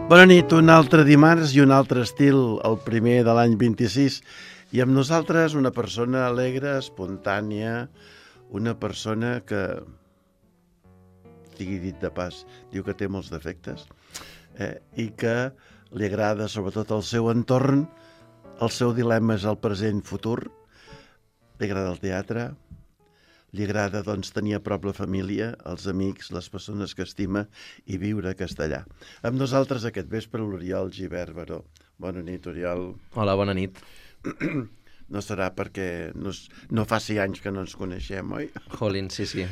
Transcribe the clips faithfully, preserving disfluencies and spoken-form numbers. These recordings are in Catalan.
Bona nit, un altre dimarts i un altre estil, el primer de l'any vint-i-sis. I amb nosaltres una persona alegre, espontània, una persona que, sigui dit de pas, diu que té molts defectes, eh, i que li agrada sobretot el seu entorn, el seu dilema és el present-futur, li agrada el teatre, li agrada doncs, tenir a prop la família, els amics, les persones que estima i viure a castellà. Amb nosaltres aquest vespre l'Oriol Gibert Baró. Bona nit, Oriol. Hola, bona nit. No serà perquè no, no fa sis anys que no ens coneixem, oi? Jolín, sí, sí.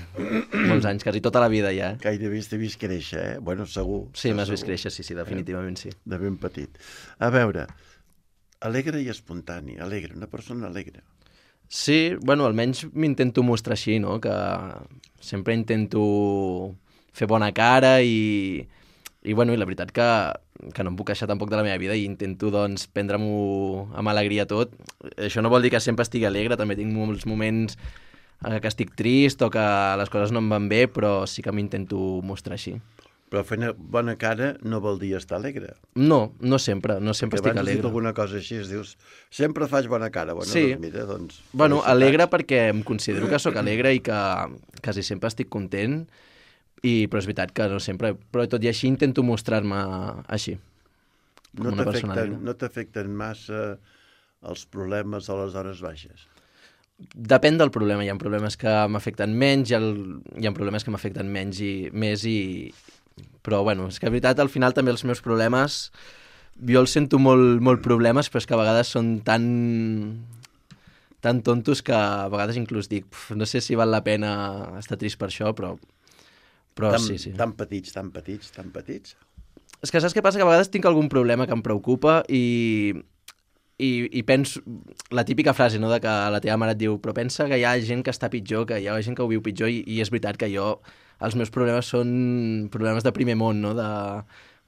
Molts anys, quasi tota la vida ja. Gairebé t'he vist créixer, eh? Bueno, segur. Sí, m'has vist créixer, sí, sí, definitivament sí. De ben petit. A veure, alegre i espontani, alegre, una persona alegre. Sí, bueno, almenys m'intento mostrar així, no? Que sempre intento fer bona cara i, i, bueno, i la veritat que, que no em puc queixar tampoc de la meva vida i intento, doncs, prendre-m'ho amb alegria tot. Això no vol dir que sempre estigui alegre, també tinc molts moments que estic trist o que les coses no em van bé, però sí que m'intento mostrar així. Però fer bona cara no vol dir estar alegre. No, no sempre, no sempre estic alegre. Abans has dit alguna cosa així, es dius, sempre faig bona cara. Bueno, sí. Doncs mira, doncs... Bueno, alegre perquè em considero que sóc alegre i que quasi sempre estic content, i, però és veritat que no sempre... Però tot i així intento mostrar-me així, com no una persona alegre. No t'afecten massa els problemes a les hores baixes? Depèn del problema. Hi ha problemes que m'afecten menys, hi ha, hi ha problemes que m'afecten menys i més i... Però, bueno, és que, de veritat, al final també els meus problemes, jo els sento molt, molt problemes, però és que a vegades són tan, tan tontos que a vegades inclús dic, no sé si val la pena estar trist per això, però, però tan, sí, sí. Tan petits, tan petits, tan petits. És que saps què passa? Que a vegades tinc algun problema que em preocupa i, i, i penso, la típica frase, no?, de que la teva mare et diu, però pensa que hi ha gent que està pitjor, que hi ha gent que ho viu pitjor, i, i és veritat que jo... Els meus problemes són problemes de primer món, no? De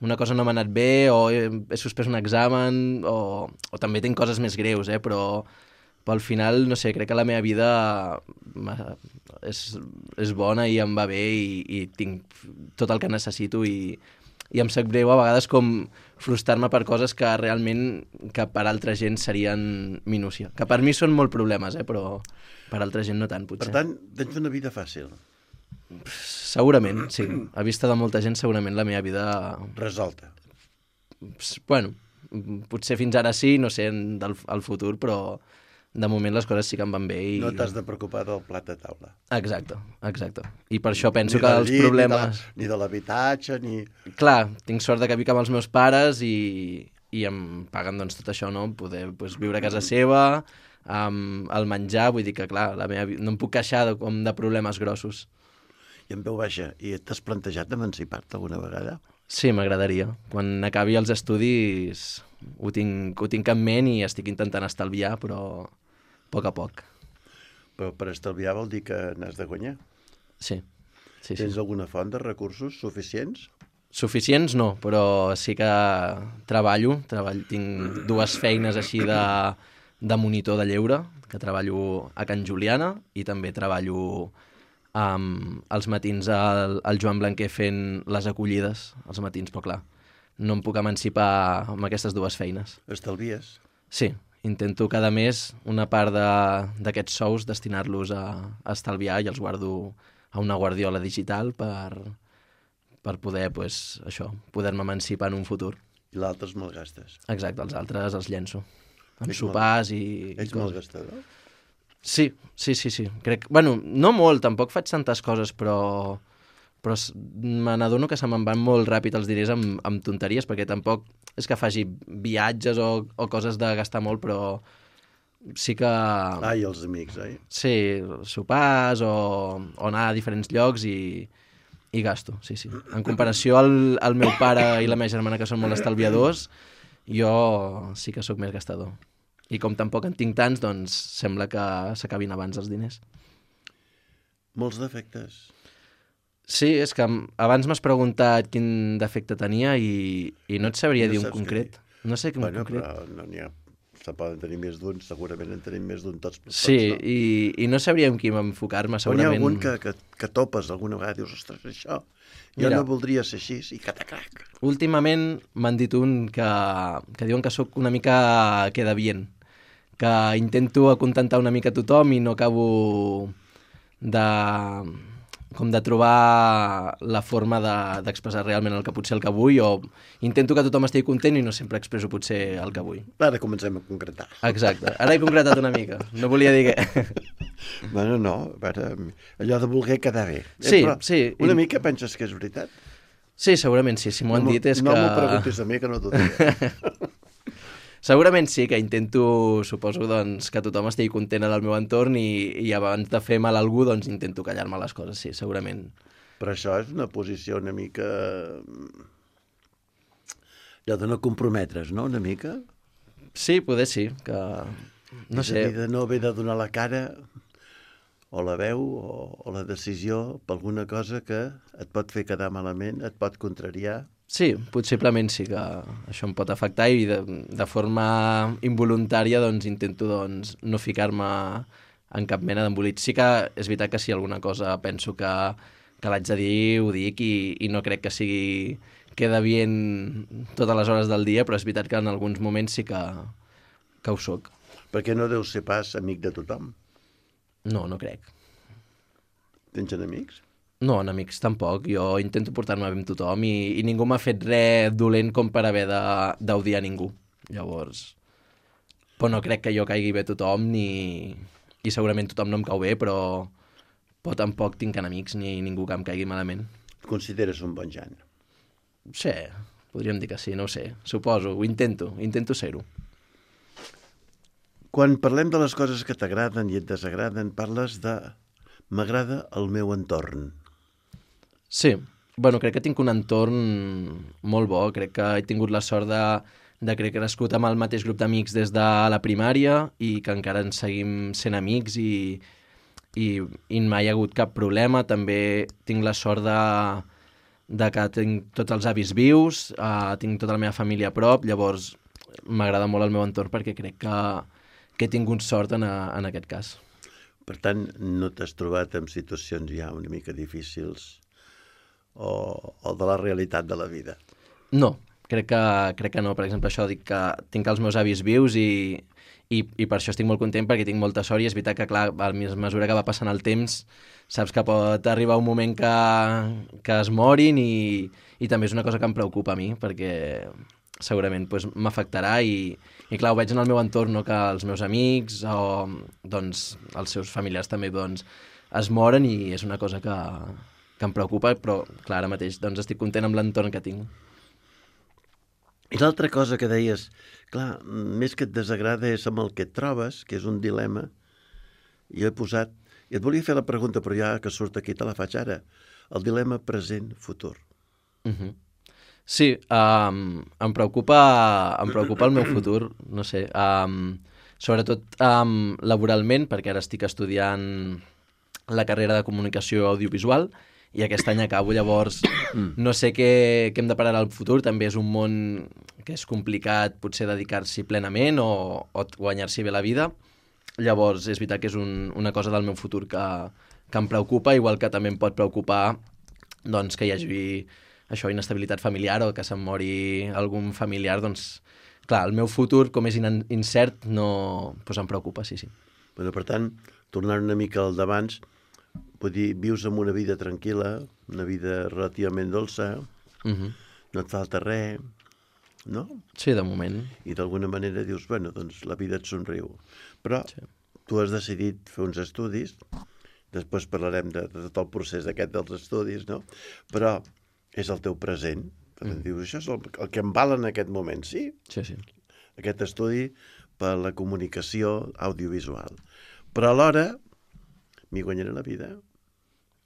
una cosa no m'ha anat bé, o he, he suspès un examen, o, o també tinc coses més greus, eh? Però, però al final, no sé, crec que la meva vida és, és bona i em va bé i, i tinc tot el que necessito i, i em sap greu a vegades com frustrar-me per coses que realment que per altra gent serien minúcia. Que per mi són molt problemes, eh? Però per altra gent no tant, potser. Per tant, tens una vida fàcil. Segurament, sí. A vista de molta gent, segurament la meva vida... Resolta. Bueno, potser fins ara sí, no sé, del al futur, però de moment les coses sí que em van bé. I... No t'has de preocupar del plat de taula. Exacte, exacte. I per això penso ni que els llit, problemes... Ni de l'habitatge, ni... Clar, tinc sort de que vic amb els meus pares i, i em paguen doncs, tot això, no? Poder pues, viure a casa seva, amb el menjar, vull dir que, clar, la meva... no em puc queixar de, com de problemes grossos. I en veu baixa, i t'has plantejat emancipar-te alguna vegada? Sí, m'agradaria. Quan acabi els estudis ho tinc, ho tinc en ment i estic intentant estalviar, però a poc a poc. Però per estalviar vol dir que n'has de guanyar? Sí. sí, sí. Tens alguna font de recursos suficients? Suficients no, però sí que treballo. treball, tinc dues feines així de, de monitor de lleure, que treballo a Can Juliana i també treballo... Um, els matins al, al Joan Blanquer fent les acollides, els matins, però clar, no em puc emancipar amb aquestes dues feines. Estalvies? Sí, intento cada mes una part d'aquests sous destinar-los a, a estalviar i els guardo a una guardiola digital per, per poder, pues, això, poder-me emancipar en un futur. I l'altre els malgastes? Exacte, els altres els llenço. Amb Ets sopars mal... i... Ets malgastador? Sí, sí, sí, sí. Crec... Bueno, no molt, tampoc faig tantes coses, però, però me n'adono que se me'n van molt ràpid els diners amb, amb tonteries, perquè tampoc és que faci viatges o, o coses de gastar molt, però sí que... Ah, i els amics, oi? Sí, sopars o, o anar a diferents llocs i, i gasto, sí, sí. En comparació al, al meu pare i la meva germana, que són molt estalviadors, jo sí que sóc més gastador. I com tampoc en tinc tants, doncs sembla que s'acabin abans els diners. Molts defectes. Sí, és que abans m'has preguntat quin defecte tenia i, i no et sabria no dir un concret. No sé quin bueno, concret. Però no n'hi ha... se poden tenir més d'un, segurament en tenim més d'un tots. Sí, tots, no? i, i no sabria amb qui m'enfocar-me, segurament. Però n'hi ha algun que, que, que topes alguna vegada, dius, ostres, això, jo Mira, no voldria ser així, i catacrac. Últimament m'han dit un que, que diuen que sóc una mica queda bien, que intento acontentar una mica a tothom i no acabo de, com de trobar la forma de- d'expressar realment el que potser el que vull, o intento que tothom estigui content i no sempre expresso potser el que vull. Ara comencem a concretar. Exacte. Ara he concretat una mica. No volia dir què. Bueno, no, a veure, allò de voler quedar bé. Eh, Sí, però sí. Una I- mica penses que és veritat? Sí, segurament sí. Si m'ho han no, dit és no que... m'ho preguntis a mi, que no t'ho diré. Segurament sí, que intento, suposo, doncs, que tothom estigui content en el meu entorn i, i abans de fer mal a algú, doncs intento callar-me les coses, sí, segurament. Però això és una posició una mica... allò de no comprometre's, no?, una mica. Sí, poder sí, que... No És a dir, sé, de no haver de donar la cara o la veu o, o la decisió per alguna cosa que et pot fer quedar malament, et pot contrariar. sí, possiblement sí que això em pot afectar i de, de forma involuntària doncs intento doncs, no ficar-me en cap mena d'embolit. Sí que és veritat que si alguna cosa penso que, que l'haig de dir, ho dic i, i no crec que sigui queda bien totes les hores del dia, però és veritat que en alguns moments sí que, que ho soc. Perquè no deus ser pas amic de tothom. No, no crec. Tens enemics? No, en amics tampoc. Jo intento portar-me bé amb tothom i, i ningú m'ha fet res dolent com per haver de- d'odiar ningú. Llavors... Però no crec que jo caigui bé a tothom ni... i segurament tothom no em cau bé, però, però tampoc tinc enemics ni ningú que em caigui malament. Et consideres un bon jan? Sí, podríem dir que sí, no ho sé. Suposo, ho intento, intento ser-ho. Quan parlem de les coses que t'agraden i et desagraden, parles de m'agrada el meu entorn. Sí, bueno, crec que tinc un entorn molt bo, crec que he tingut la sort de, de que he crescut amb el mateix grup d'amics des de la primària i que encara ens seguim sent amics i, i, i mai hi ha hagut cap problema. També tinc la sort de, de que tinc tots els avis vius, uh, tinc tota la meva família a prop, llavors m'agrada molt el meu entorn perquè crec que, que he tingut sort en, a, en aquest cas. Per tant, no t'has trobat en situacions ja una mica difícils o, o de la realitat de la vida. No, crec que, crec que no. Per exemple, això dic que tinc els meus avis vius i, i, i per això estic molt content perquè tinc molta sort i és veritat que, clar, a mesura que va passant el temps saps que pot arribar un moment que, que es morin i, i també és una cosa que em preocupa a mi perquè segurament pues, m'afectarà i, i clar, ho veig en el meu entorn, no? Que els meus amics o doncs, els seus familiars també doncs, es moren i és una cosa que, que em preocupa, però clar, ara mateix doncs, estic content amb l'entorn que tinc. I l'altra cosa que deies, clar, més que et desagrada és amb el que et trobes, que és un dilema, i he posat, i et volia fer la pregunta, però ja que surt aquí te la faig ara, el dilema present-futur. Uh -huh. Sí, um, em, preocupa, em preocupa el meu futur, no sé, um, sobretot um, laboralment, perquè ara estic estudiant la carrera de comunicació audiovisual i aquest any acabo, llavors no sé què, què em depararà el futur, també és un món que és complicat potser dedicar-s'hi plenament o, o guanyar-s'hi bé la vida, llavors és veritat que és un, una cosa del meu futur que, que em preocupa, igual que també em pot preocupar doncs, que hi hagi això, inestabilitat familiar o que se'm mori algun familiar, doncs, clar, el meu futur, com és in incert, no, doncs em preocupa, sí, sí. Bueno, per tant, tornant una mica al d'abans, vull dir, vius amb una vida tranquil·la, una vida relativament dolça, Uh -huh. no et falta res, no? Sí, de moment. I d'alguna manera dius, bueno, doncs la vida et somriu. Però sí. Tu has decidit fer uns estudis, després parlarem de, de tot el procés aquest dels estudis, no? Però és el teu present. Per tant, mm. dius, això és el, el que em val en aquest moment, sí? Sí, sí. Aquest estudi per la comunicació audiovisual. Però alhora m'hi guanyaré la vida.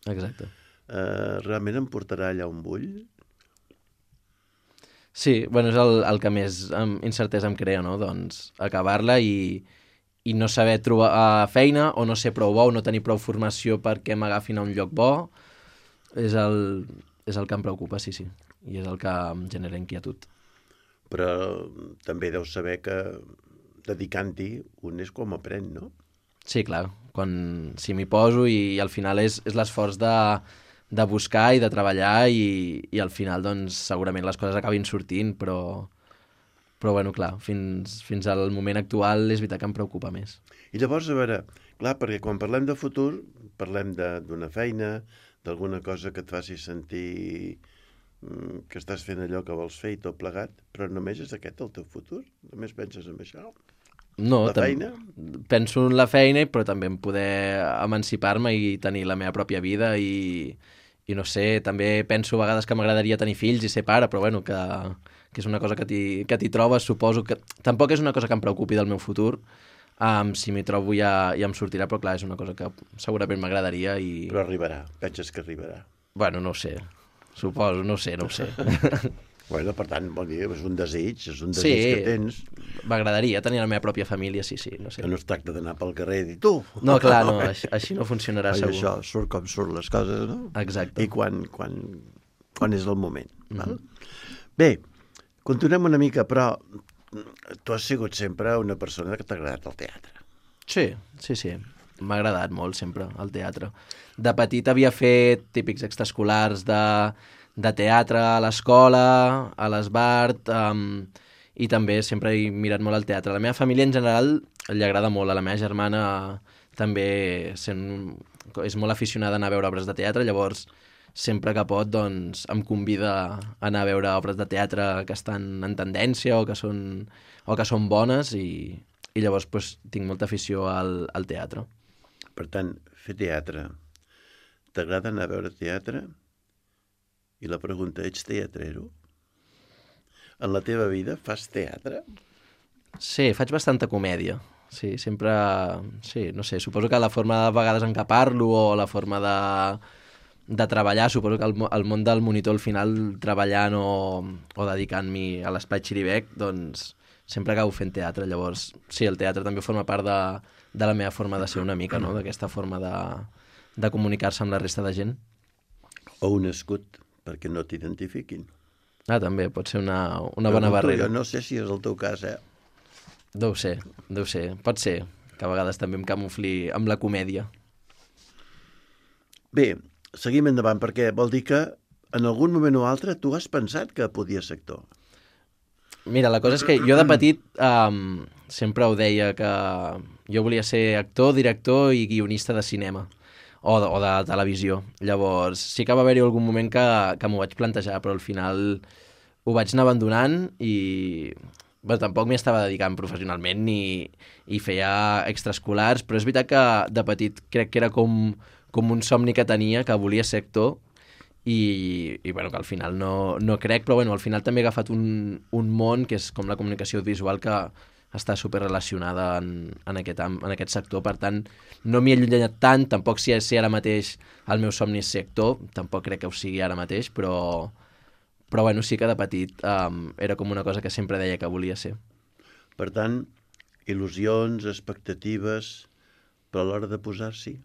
Exacte. Uh, realment em portarà allà on vull? Sí, bueno, és el, el que més um, incertesa em crea, no? Doncs acabar-la i, i no saber trobar uh, feina o no ser prou bo o no tenir prou formació perquè m'agafin a un lloc bo és el, és el que em preocupa, sí, sí. I és el que em genera inquietud. Però també deus saber que dedicant-hi, un és com aprèn, no? Sí, clar, quan, si m'hi poso i, i al final és, és l'esforç de, de buscar i de treballar i, i al final doncs segurament les coses acabin sortint, però, però bueno, clar, fins, fins al moment actual és veritat que em preocupa més. I llavors, a veure, clar, perquè quan parlem de futur, parlem d'una feina, d'alguna cosa que et faci sentir mm, que estàs fent allò que vols fer i tot plegat, però només és aquest el teu futur? Només penses en això? No, La feina? penso en la feina, però també en poder emancipar-me i tenir la meva pròpia vida i, i no sé, també penso a vegades que m'agradaria tenir fills i ser pare, però bueno, que, que és una cosa que t'hi trobes, suposo que... Tampoc és una cosa que em preocupi del meu futur, um, si m'hi trobo ja, ja em sortirà, però clar, és una cosa que segurament m'agradaria i... Però arribarà, penses que arribarà? Bueno, no ho sé, suposo, no ho sé, no ho sé. Bueno, per tant, vol dir, és un desig, és un desig Sí, que tens. M'agradaria tenir la meva pròpia família, sí, sí, no sé. Que no es tracta d'anar pel carrer i dir tu. No, clar, no, així, així no funcionarà Oi, segur. això surt com surt les coses, no? Exacte. I quan, quan, quan és el moment. Mhm. Val? Bé, continuem una mica, però tu has sigut sempre una persona que t'ha agradat el teatre. Sí, sí, sí. M'ha agradat molt sempre el teatre. De petit havia fet típics extraescolars de, de teatre a l'escola, a l'Esbart, um, i també sempre he mirat molt el teatre. A la meva família en general li agrada molt. A la meva germana també sent, és molt aficionada a anar a veure obres de teatre, llavors sempre que pot doncs, em convida a anar a veure obres de teatre que estan en tendència o que són, o que són bones i, i llavors pues, tinc molta afició al, al teatre. Per tant, fer teatre. T'agrada anar a veure teatre? I la pregunta, ets teatrero? En la teva vida fas teatre? Sí, faig bastanta comèdia. Sí, sempre... Sí, no sé, suposo que la forma de vegades en què parlo o la forma de, de treballar, suposo que el, el món del monitor al final treballant o, o dedicant-m'hi a l'espai xiribec, doncs sempre acabo fent teatre. Llavors, sí, el teatre també forma part de, de la meva forma de ser una mica, no? D'aquesta forma de, de comunicar-se amb la resta de gent. O un escut, perquè no t'identifiquin. Ah, també, pot ser una, una bona barrera. Jo no sé si és el teu cas, eh? Deu ser, deu ser. Pot ser que a vegades també em camufli amb la comèdia. Bé, seguim endavant, perquè vol dir que en algun moment o altre tu has pensat que podies ser actor. Mira, la cosa és que jo de petit um, sempre ho deia que jo volia ser actor, director i guionista de cinema o de, o de televisió. Llavors, sí que va haver-hi algun moment que, que m'ho vaig plantejar, però al final ho vaig anar abandonant i bé, tampoc m'hi estava dedicant professionalment ni, i feia extraescolars, però és veritat que de petit crec que era com, com un somni que tenia, que volia ser actor i, i bueno, que al final no, no crec, però bueno, al final també he agafat un, un món que és com la comunicació visual que està superrelacionada en, en, aquest, en aquest sector, per tant no m'hi he allunyat tant, tampoc si, si ara mateix el meu somni és ser actor, tampoc crec que ho sigui ara mateix, però, però bueno, sí que de petit um, era com una cosa que sempre deia que volia ser. Per tant, il·lusions, expectatives, però a l'hora de posar-s'hi.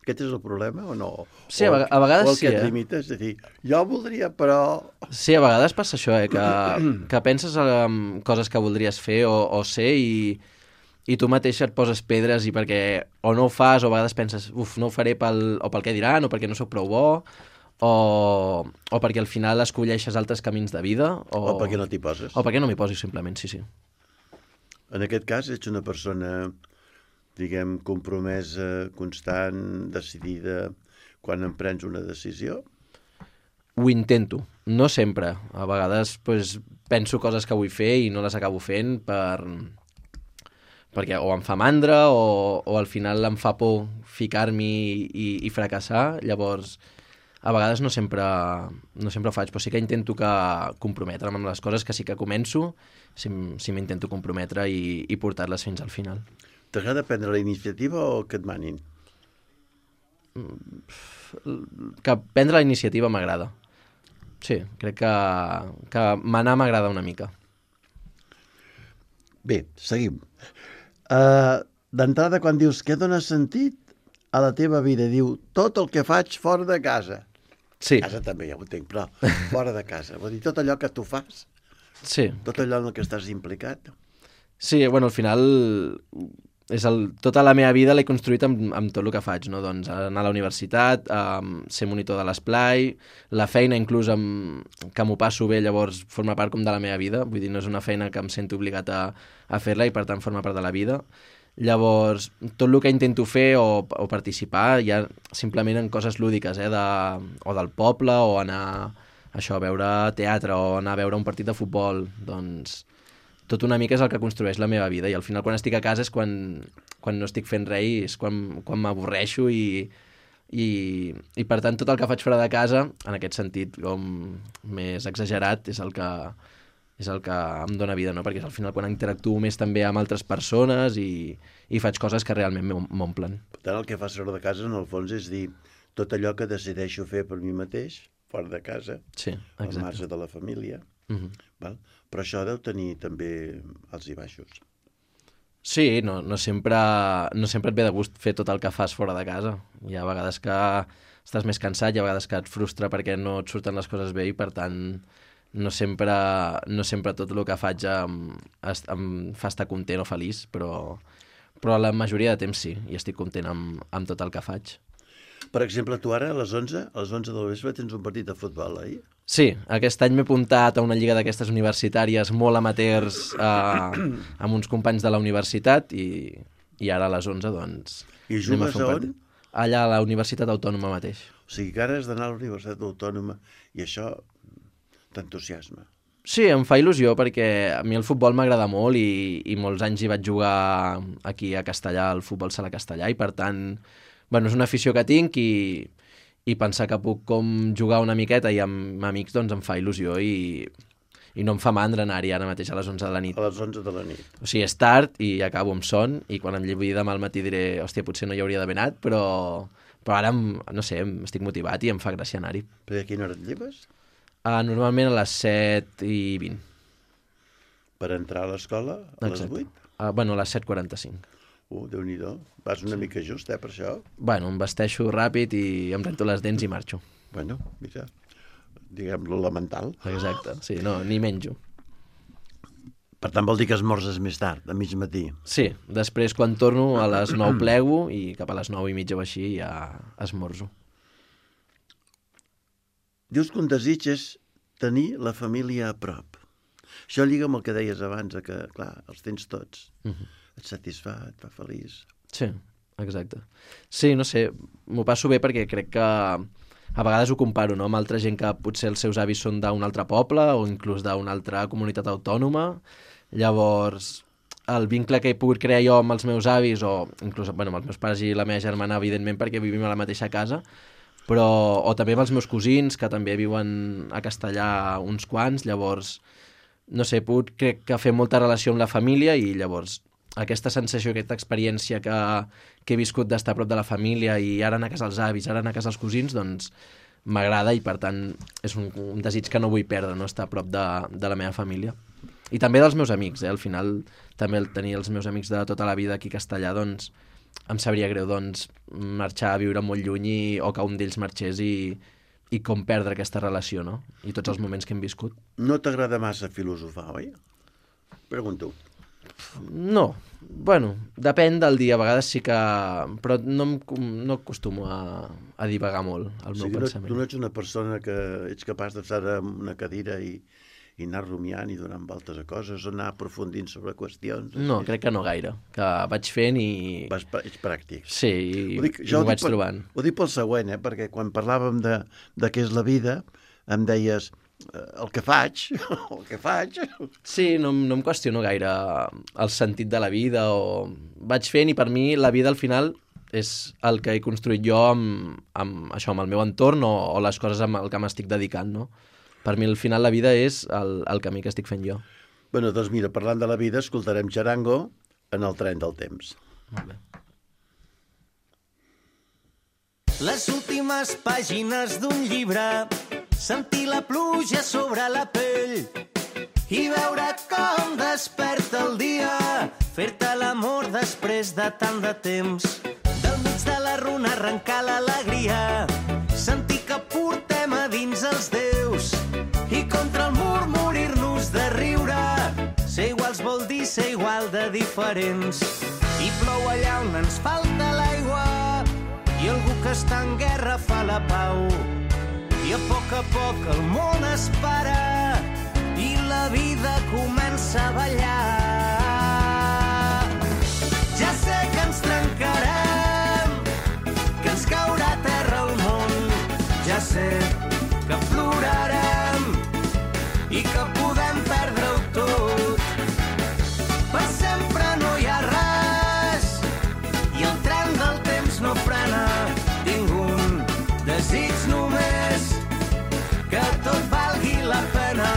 Aquest és el problema o no? Sí, a, a vegades o el sí, que et eh? limita és a dir, jo voldria, però... Sí, a vegades passa això, eh? que, que penses en coses que voldries fer o, o ser i, i tu mateix et poses pedres i perquè o no ho fas o a vegades penses, uf, no ho faré pel, o pel que diran o perquè no sóc prou bo o, o perquè al final escolleixes altres camins de vida o, O perquè no t'hi poses. o perquè no m'hi posis simplement, sí, sí. En aquest cas ets una persona, diguem, compromesa, constant, decidida, quan emprens una decisió? Ho intento, no sempre. A vegades pues, penso coses que vull fer i no les acabo fent per... perquè o em fa mandra o, o al final em fa por ficar-m'hi i, i fracassar. Llavors, a vegades no sempre, no sempre ho faig, però sí que intento que comprometre'm amb les coses que sí que començo, si, si m'intento comprometre i, i portar-les fins al final. T'agrada prendre la iniciativa o que et manin? Que prendre la iniciativa m'agrada. Sí, crec que, que manar m'agrada una mica. Bé, seguim. Uh, D'entrada, quan dius què dona sentit a la teva vida, diu tot el que faig fora de casa. Sí. Casa també, ja ho entenc, però fora de casa. Vol dir tot allò que tu fas, Sí. tot allò en el que estàs implicat. Sí, bueno, al final és el, tota la meva vida l'he construït amb, amb tot el que faig, no? Doncs anar a la universitat, um, ser monitor de l'esplai, la feina inclús amb, que m'ho passo bé, llavors forma part com de la meva vida, vull dir, no és una feina que em sento obligat a, a fer-la i per tant forma part de la vida. Llavors, tot el que intento fer o, o participar ja simplement en coses lúdiques, eh, de, o del poble, o anar això, a veure teatre, o anar a veure un partit de futbol, doncs tot una mica és el que construeix la meva vida, i al final quan estic a casa és quan, quan no estic fent res, és quan, quan m'avorreixo i, i, i per tant tot el que faig fora de casa, en aquest sentit com més exagerat, és el que, és el que em dóna vida, no? Perquè al final quan interactuo més també amb altres persones i, i faig coses que realment m'omplen. Per tant, el que fas fora de casa, en el fons, és dir tot allò que decideixo fer per mi mateix, fora de casa, sí, al marge de la família. Uh-huh. Val? Però això deu tenir també alts i baixos. Sí, no, no, sempre, no sempre et ve de gust fer tot el que fas fora de casa. Hi ha vegades que estàs més cansat, hi ha vegades que et frustra perquè no et surten les coses bé i per tant no sempre, no sempre tot el que faig em, em fa estar content o feliç, però, però la majoria de temps sí, i estic content amb, amb tot el que faig. Per exemple, tu ara a les onze, a les onze del vespre tens un partit de futbol, oi? Sí, aquest any m'he apuntat a una lliga d'aquestes universitàries molt amateurs eh, amb uns companys de la universitat i, i ara a les onze, doncs... I jugues a on? Allà a la Universitat Autònoma mateix. O sigui que ara has d'anar a la Universitat Autònoma i això t'entusiasma. Sí, em fa il·lusió perquè a mi el futbol m'agrada molt i, i molts anys hi vaig jugar aquí a Castellà, al futbol sala Castellà, i per tant, bueno, és una afició que tinc i... i pensar que puc com jugar una miqueta i amb amics doncs em fa il·lusió i, i no em fa mandra anar-hi ara mateix a les onze de la nit. A les onze de la nit. O sigui, és tard i acabo amb son i quan em llevi demà al matí diré hòstia, potser no hi hauria d'haver anat, però, però ara, no sé, estic motivat i em fa gràcia anar-hi. Perquè a quina hora et lleves? Uh, normalment a les set i vint. Per entrar a l'escola a les vuit? Uh, bueno, a les set quaranta-cinc. Uh, Déu-n'hi-do. Vas una sí. mica just, eh, per això? Bueno, em vesteixo ràpid i em rento les dents i marxo. Bueno, mira, diguem-lo elemental. Exacte, sí, no, ni menjo. Per tant, vol dir que esmorzes més tard, a mig matí. Sí, després quan torno a les nou plego i cap a les nou i mitja o així ja esmorzo. Dius que un desig és tenir la família a prop. Això lliga amb el que deies abans, que, clar, els tens tots. Uh-huh. Et satisfà, et fa feliç. Sí, exacte. Sí, no sé, m'ho passo bé perquè crec que a vegades ho comparo, no?, amb altra gent que potser els seus avis són d'un altre poble o inclús d'una altra comunitat autònoma. Llavors, el vincle que he pogut crear jo amb els meus avis o inclús bueno, amb els meus pares i la meva germana, evidentment, perquè vivim a la mateixa casa, però o també amb els meus cosins, que també viuen a Castellà uns quants, llavors, no sé, he pogut, crec que fer molta relació amb la família i llavors aquesta sensació, aquesta experiència que, que he viscut d'estar a prop de la família i ara anar a casa els avis, ara anar a casa els cosins, doncs m'agrada i per tant és un, un desig que no vull perdre, no?, estar a prop de, de la meva família. I també dels meus amics, eh? Al final també el tenir els meus amics de tota la vida aquí a Castellà, doncs em sabria greu doncs, marxar a viure molt lluny i, o que un d'ells marxés i, i com perdre aquesta relació, no? I tots els moments que hem viscut. No t'agrada massa filosofar, oi? Pregunto. No, bueno, depèn del dia, a vegades sí que... Però no, em, no acostumo a, a divagar molt el meu o sigui, pensament. Tu no ets una persona que ets capaç d'estar en una cadira i, i anar rumiant i donant voltes a coses o anar aprofundint sobre qüestions? No, així. Crec que no gaire, que vaig fent i... Vas, ets pràctic. Sí, i ho, dic, jo ho vaig per, trobant. Ho dic pel següent, eh? Perquè quan parlàvem de, de què és la vida, em deies... el que faig, el que faig... Sí, no, no em qüestiono gaire el sentit de la vida o... Vaig fent i per mi la vida al final és el que he construït jo amb, amb, això, amb el meu entorn o, o les coses amb el que m'estic dedicant, no? Per mi al final la vida és el, el camí que estic fent jo. Bueno, doncs mira, parlant de la vida, escoltarem Txarango en el tren del temps. Molt bé. Les últimes pàgines d'un llibre, sentir la pluja sobre la pell i veure com desperta el dia, fer-te l'amor després de tant de temps. Del mig de la runa arrencar l'alegria, sentir que portem a dins els déus i contra el mur morir-nos de riure. Ser iguals vol dir ser igual de diferents. I plou allà on ens falta l'aigua, i algú que està en guerra fa la pau. I a poc a poc el món es para, i la vida comença a ballar. Ja sé que ens trencarem, que ens caurà a terra el món. Ja sé que plorarem i que podem perdre-ho tot. Per sempre no hi ha res i el tren del temps no frena. Tinc un desig només, que tot valgui la pena.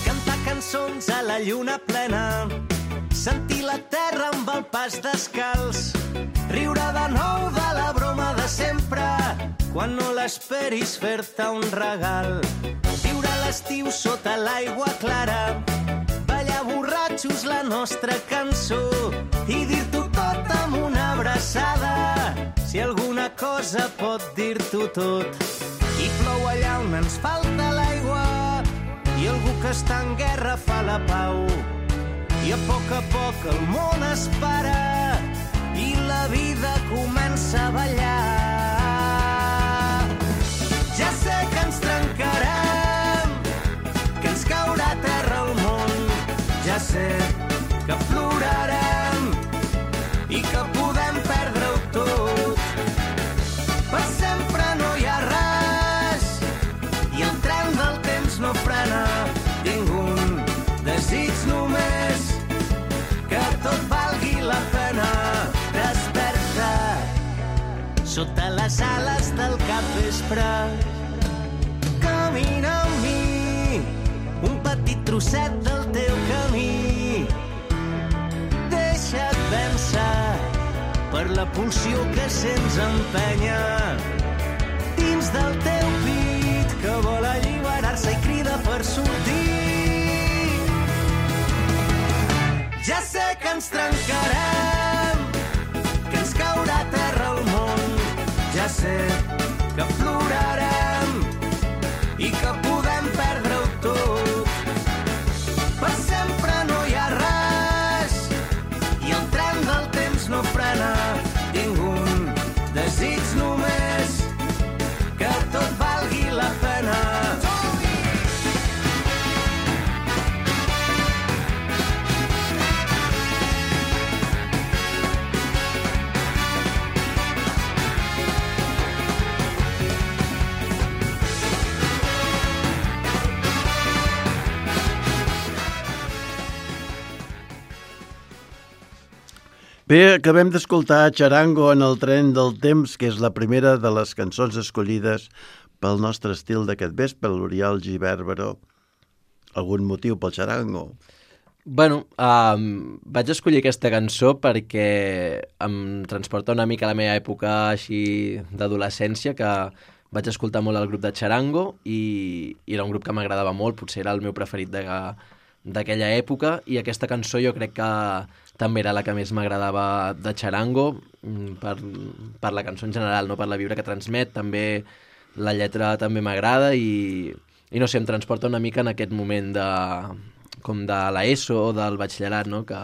Cantar cançons a la lluna plena, sentir la terra amb el pas descalç, riure de nou de la broma de sempre, quan no l'esperis fer-te un regal. Viure l'estiu sota l'aigua clara, ballar borratxos la nostra cançó i dir-t'ho tot amb una abraçada, si alguna cosa pot dir-t'ho tot. I plou allà on ens falta l'aigua, i algú que està en guerra fa la pau. I a poc a poc el món es para, i la vida comença a ballar. Ja sé que ens trencarem, que ens caurà a terra el món. Ja sé que plorarem i que podem perdre-ho tot. Per sempre no hi ha res i el tren del temps no frena. Tinc un desig només, que tot valgui la pena. Desperta sota les ales del capvespre, camina amb mi un petit trosset del teu camí. Deixa't vèncer per la pulsió que sents empènyer dins del teu pit, que vol alliberar-se i crida per sortir. Ja sé que ens trencarem, que ens caurà a terra el món. Ja sé que plorarem i que podem perdre-ho tot. Per sempre no hi ha res i el tren del temps no frena. Tinc un desig només, que tot valgui la pena. Bé, acabem d'escoltar Charango en el tren del temps, que és la primera de les cançons escollides pel nostre estil d'aquest vespre, l'Oriol Gibert Baró. Algun motiu pel Charango? Bueno, um, vaig escollir aquesta cançó perquè em transporta una mica a la meva època així d'adolescència, que vaig escoltar molt el grup de Charango i, i era un grup que m'agradava molt, potser era el meu preferit de, d'aquella època, i aquesta cançó jo crec que també era la que més m'agradava de Charango, per, per la cançó en general, no per la vibra que transmet. També la lletra també m'agrada i, i no sé, em transporta una mica en aquest moment de, com de l'ESO o del batxillerat, no? Que,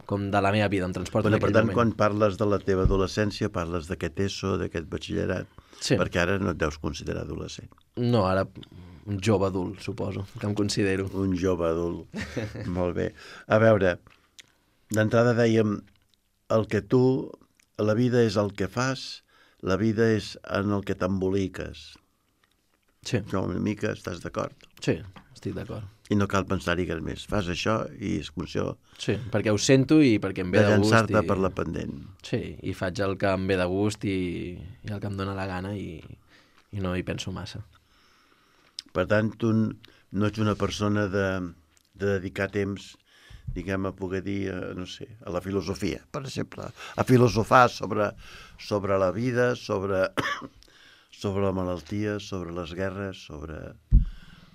com de la meva vida, em transporta bueno, en aquell per tant, moment. quan parles de la teva adolescència, parles d'aquest ESO, d'aquest batxillerat, Sí. perquè ara no et deus considerar adolescent. No, ara un jove adult, suposo, que em considero. Un jove adult. Molt bé. A veure, d'entrada dèiem, el que tu, la vida és el que fas, la vida és en el que t'emboliques. Sí, No, una mica estàs d'acord. sí, estic d'acord. I no cal pensar-hi res més. Fas això i és funció Sí, perquè ho sento i perquè em ve de de gust. llançar-te I... per la pendent. Sí, i faig el que em ve de gust i, i el que em dóna la gana i, i no hi penso massa. Per tant, tu no ets una persona de, de dedicar temps, diguem, a poder dir, a, no sé, a la filosofia, per exemple, a filosofar sobre, sobre la vida, sobre, sobre la malaltia, sobre les guerres, sobre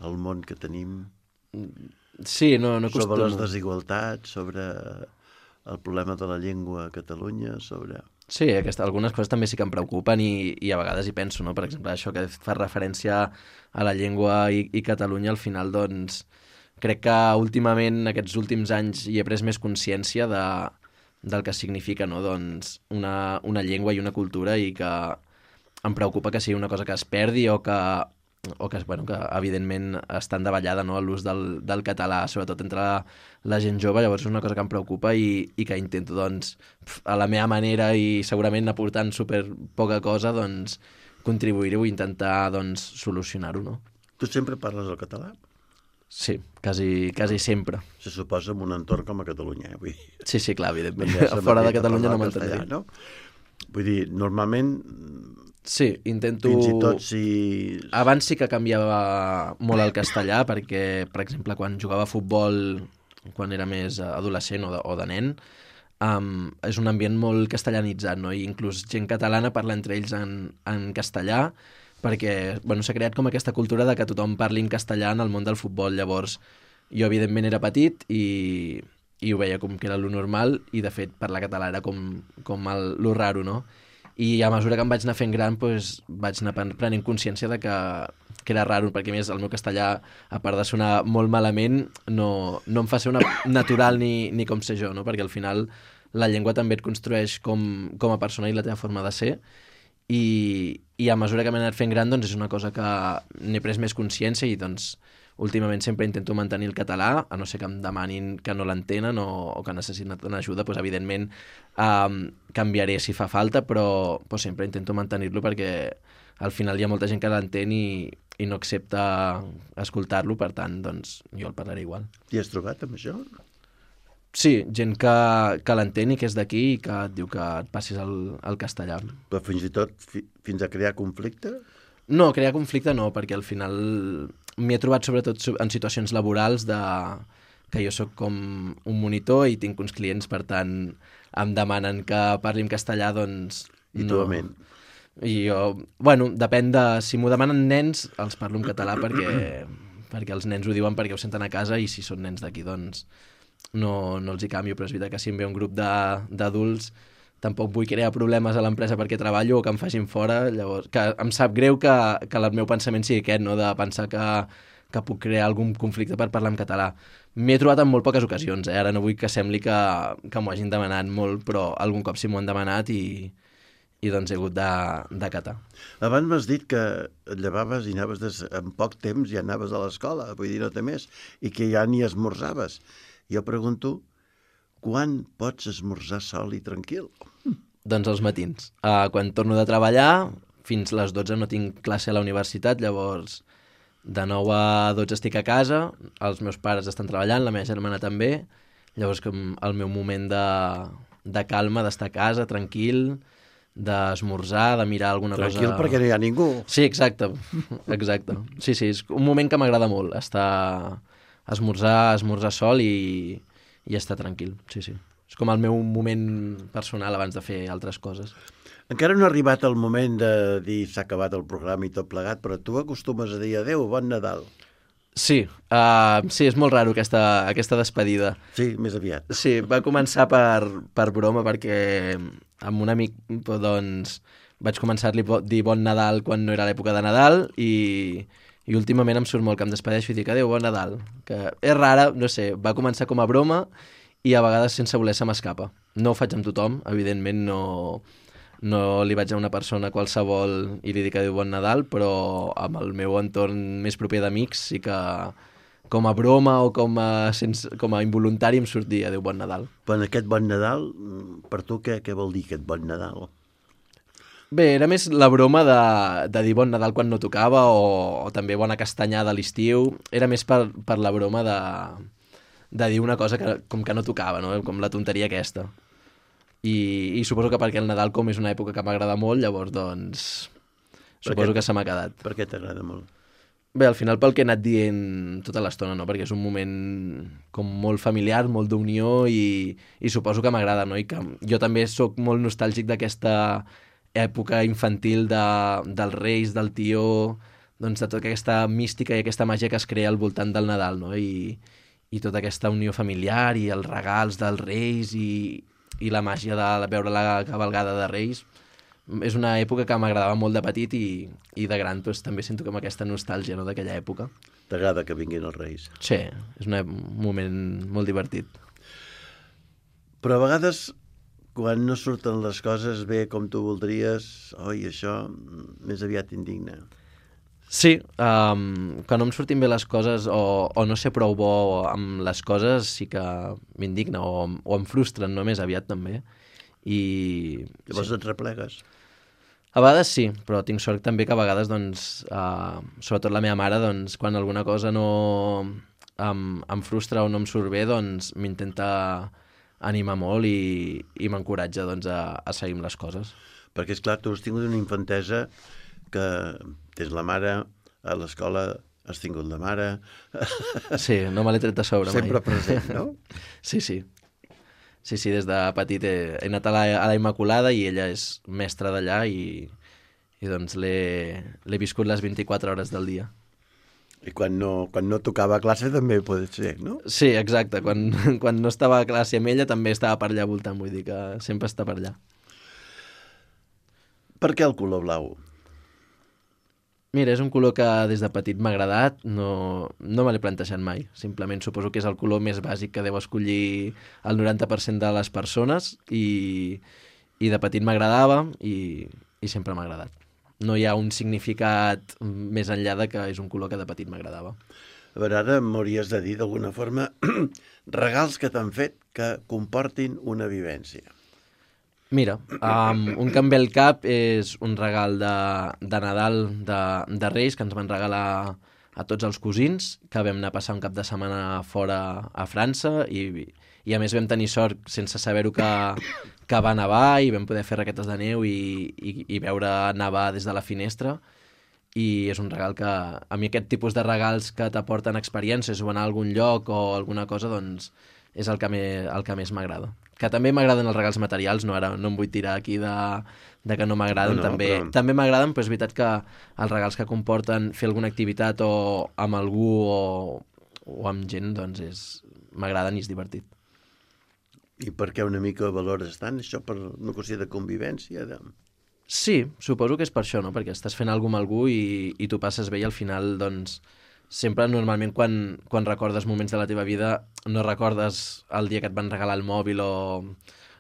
el món que tenim, Sí, no, no sobre les acostumo. desigualtats, sobre el problema de la llengua a Catalunya sobre... Sí, aquesta, algunes coses també sí que em preocupen i, i a vegades hi penso, no? Per exemple, això que fa referència a la llengua i, i Catalunya, al final, doncs, crec que últimament, aquests últims anys, hi he pres més consciència de, del que significa, no? Doncs, una, una llengua i una cultura i que em preocupa que sigui una cosa que es perdi o que, o que, bueno, que evidentment estan davallada, no? L'ús del, del català, sobretot entre la, la gent jove, llavors és una cosa que em preocupa i, i que intento, doncs, a la meva manera i segurament aportant super poca cosa, doncs, contribuir-ho i intentar, doncs, solucionar-ho, no? Tu sempre parles el català? Sí, quasi, quasi sempre. Se suposa en un entorn com a Catalunya, eh? Vull dir... Sí, sí, clar, evidentment. Fora de Catalunya no m'entendria. No? Vull dir, normalment... Sí, intento... Fins i tot si... Abans sí que canviava molt el castellà, perquè, per exemple, quan jugava a futbol, quan era més adolescent o de, o de nen, um, és un ambient molt castellanitzat, no? I inclús gent catalana parla entre ells en, en castellà, perquè bueno, s'ha creat com aquesta cultura de que tothom parli en castellà en el món del futbol. Llavors, jo evidentment era petit i, i ho veia com que era lo normal i, de fet, parlar català era com, com el, lo raro, no? I a mesura que em vaig anar fent gran, doncs, vaig anar prenent consciència de que, que era raro, perquè a més el meu castellà, a part de sonar molt malament, no, no em fa ser una natural ni, ni com ser jo, no? Perquè al final la llengua també et construeix com, com a persona i la teva forma de ser, i, i a mesura que m'he anat fent gran, doncs és una cosa que n'he pres més consciència i doncs últimament sempre intento mantenir el català, a no ser que em demanin que no l'entenen o, o que necessiten ajuda, doncs evidentment um, canviaré si fa falta, però, però sempre intento mantenir-lo perquè al final hi ha molta gent que l'entén i, i no accepta escoltar-lo, per tant, doncs jo el parlaré igual. T'hi has trobat amb això? Sí, gent que, que l'entén i que és d'aquí i que et diu que et passis el, el castellà. Però fins i tot fi, fins a crear conflicte? No, crear conflicte no, perquè al final m'hi he trobat sobretot en situacions laborals de que jo sóc com un monitor i tinc uns clients, per tant, em demanen que parli en castellà, doncs... I no. tu amén. I jo, bueno, depèn de... Si m'ho demanen nens, els parlo en català perquè, perquè els nens ho diuen perquè ho senten a casa i si són nens d'aquí, doncs no, no els hi canvio, però és veritat que si em ve un grup d'adults tampoc vull crear problemes a l'empresa perquè treballo o que em facin fora, llavors que em sap greu que, que el meu pensament sigui aquest, no? De pensar que, que puc crear algun conflicte per parlar en català. M'he trobat en molt poques ocasions, eh? Ara no vull que sembli que, que m'ho hagin demanat molt, però algun cop sí m'ho han demanat i, i doncs he hagut d'acatar. Abans m'has dit que et llevaves i anaves des, en poc temps ja anaves a l'escola, vull dir, no té més, i que ja ni esmorzaves. Jo pregunto, quan pots esmorzar sol i tranquil? Doncs als matins. Uh, quan torno de treballar, fins les dotze no tinc classe a la universitat, llavors de nou a dotze estic a casa, els meus pares estan treballant, la meva germana també, llavors com el meu moment de, de calma, d'estar a casa, tranquil, d'esmorzar, de mirar alguna tranquil cosa... Tranquil perquè no hi ha ningú. Sí, exacte, exacte. Sí, sí, és un moment que m'agrada molt, estar... esmorzar, esmorzar sol i, i estar tranquil, sí, sí. És com el meu moment personal abans de fer altres coses. Encara no ha arribat el moment de dir s'ha acabat el programa i tot plegat, però tu acostumes a dir adeu, bon Nadal. Sí, uh, sí, és molt raro aquesta, aquesta despedida. Sí, més aviat. Sí, va començar per, per broma, perquè amb un amic doncs, vaig començar-li a dir bon Nadal quan no era l'època de Nadal i, i últimament em surt molt que em despedeixo i dic adeu, bon Nadal. Que és rara, no sé, va començar com a broma i a vegades sense voler se m'escapa. No ho faig amb tothom, evidentment no, no li vaig a una persona qualsevol i li dic adéu bon Nadal, però amb el meu entorn més proper d'amics sí que com a broma o com a, sense, com a involuntari em surt dir adéu bon Nadal. Però aquest bon Nadal, per tu què, què vol dir aquest bon Nadal? Bé, era més la broma de, de dir bon Nadal quan no tocava o, o també bona castanyada a l'estiu. Era més per, per la broma de, de dir una cosa que, com que no tocava, no? Com la tonteria aquesta. I, i suposo que perquè el Nadal com és una època que m'agrada molt, llavors doncs suposo que se m'ha quedat. Per què t'agrada molt? Bé, al final pel que he anat dient tota l'estona, no? Perquè és un moment com molt familiar, molt d'unió i, i suposo que m'agrada, no? I que jo també sóc molt nostàlgic d'aquesta època infantil de, dels reis, del tió, doncs de tota aquesta mística i aquesta màgia que es crea al voltant del Nadal, no? I, i tota aquesta unió familiar i els regals dels Reis i, i la màgia de veure la cavalgada de Reis. És una època que m'agradava molt de petit i, i de gran doncs, també sento com aquesta nostàlgia, no?, d'aquella època. T'agrada que vinguin els Reis? Sí, és un moment molt divertit. Però a vegades, quan no surten les coses bé com tu voldries, oi, això més aviat indigna. Sí, um, quan no em surtin bé les coses o, o no sé prou bo amb les coses, sí que m'indigna o, o em frustren, no?, més aviat també. I... Llavors sí. Et replegues? A vegades sí, però tinc sort també que a vegades, doncs, uh, sobretot la meva mare, doncs, quan alguna cosa no em, em frustra o no em surt bé, doncs m'intenta animar molt i, i m'encoratja, doncs, a, a seguir amb les coses. Perquè, és clar, tu has tingut una infantesa que tens la mare, a l'escola has tingut la mare... Sí, no me l'he tret de sobre mai. Sempre present, no? Sí, sí. Sí, sí, des de petit he, he anat a la, a la Immaculada i ella és mestra d'allà i, i doncs l'he viscut les vint-i-quatre hores del dia. I quan no, quan no tocava a classe també pot ser, no? Sí, exacte. Quan, quan no estava a classe amb ella també estava per allà voltant, vull dir que sempre està per allà. Per què el color blau? Mira, és un color que des de petit m'ha agradat, no, no me l'he plantejat mai. Simplement suposo que és el color més bàsic que deu escollir el noranta per cent de les persones i, i de petit m'agradava i, i sempre m'ha agradat. No hi ha un significat més enllà de que és un color que de petit m'agradava. A veure, ara m'hauries de dir d'alguna forma regals que t'han fet que comportin una vivència. Mira, um, un que em ve al cap és un regal de, de Nadal de, de Reis que ens van regalar a tots els cosins, que vam anar a passar un cap de setmana fora a França i, i a més vam tenir sort sense saber-ho que, que va nevar i vam poder fer raquetes de neu i, i, i veure nevar des de la finestra i és un regal que a mi aquest tipus de regals que t'aporten experiències o anar a algun lloc o alguna cosa doncs és el que, me, el que més m'agrada. Que també m'agraden els regals materials, no ara no em vull tirar aquí de, de que no m'agraden, no, no, també, però... també m'agraden, però és veritat que els regals que comporten fer alguna activitat o amb algú o, o amb gent, doncs és m'agraden i és divertit. I per què una mica valores tant això per una qüestió de convivència? De... Sí, suposo que és per això, no? Perquè estàs fent alguna cosa amb algú i, i tu passes bé i al final, doncs, sempre normalment quan, quan recordes moments de la teva vida no recordes el dia que et van regalar el mòbil o,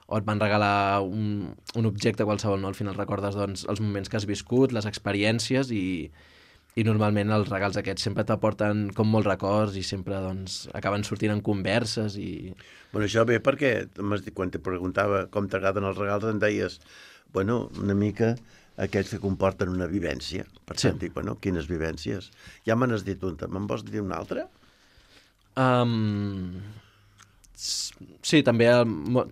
o et van regalar un, un objecte qualsevol, no? Al final recordes doncs, els moments que has viscut, les experiències i, i normalment els regals aquests sempre t'aporten com molts records i sempre doncs, acaben sortint en converses i... Bueno, això ve perquè quan te preguntava com t'agraden els regals em deies, bueno, una mica... aquells que comporten una vivència. Per sí. tant, dic, bueno, quines vivències? Ja me n'has dit una, me'n vols dir una altra? Um, sí, també,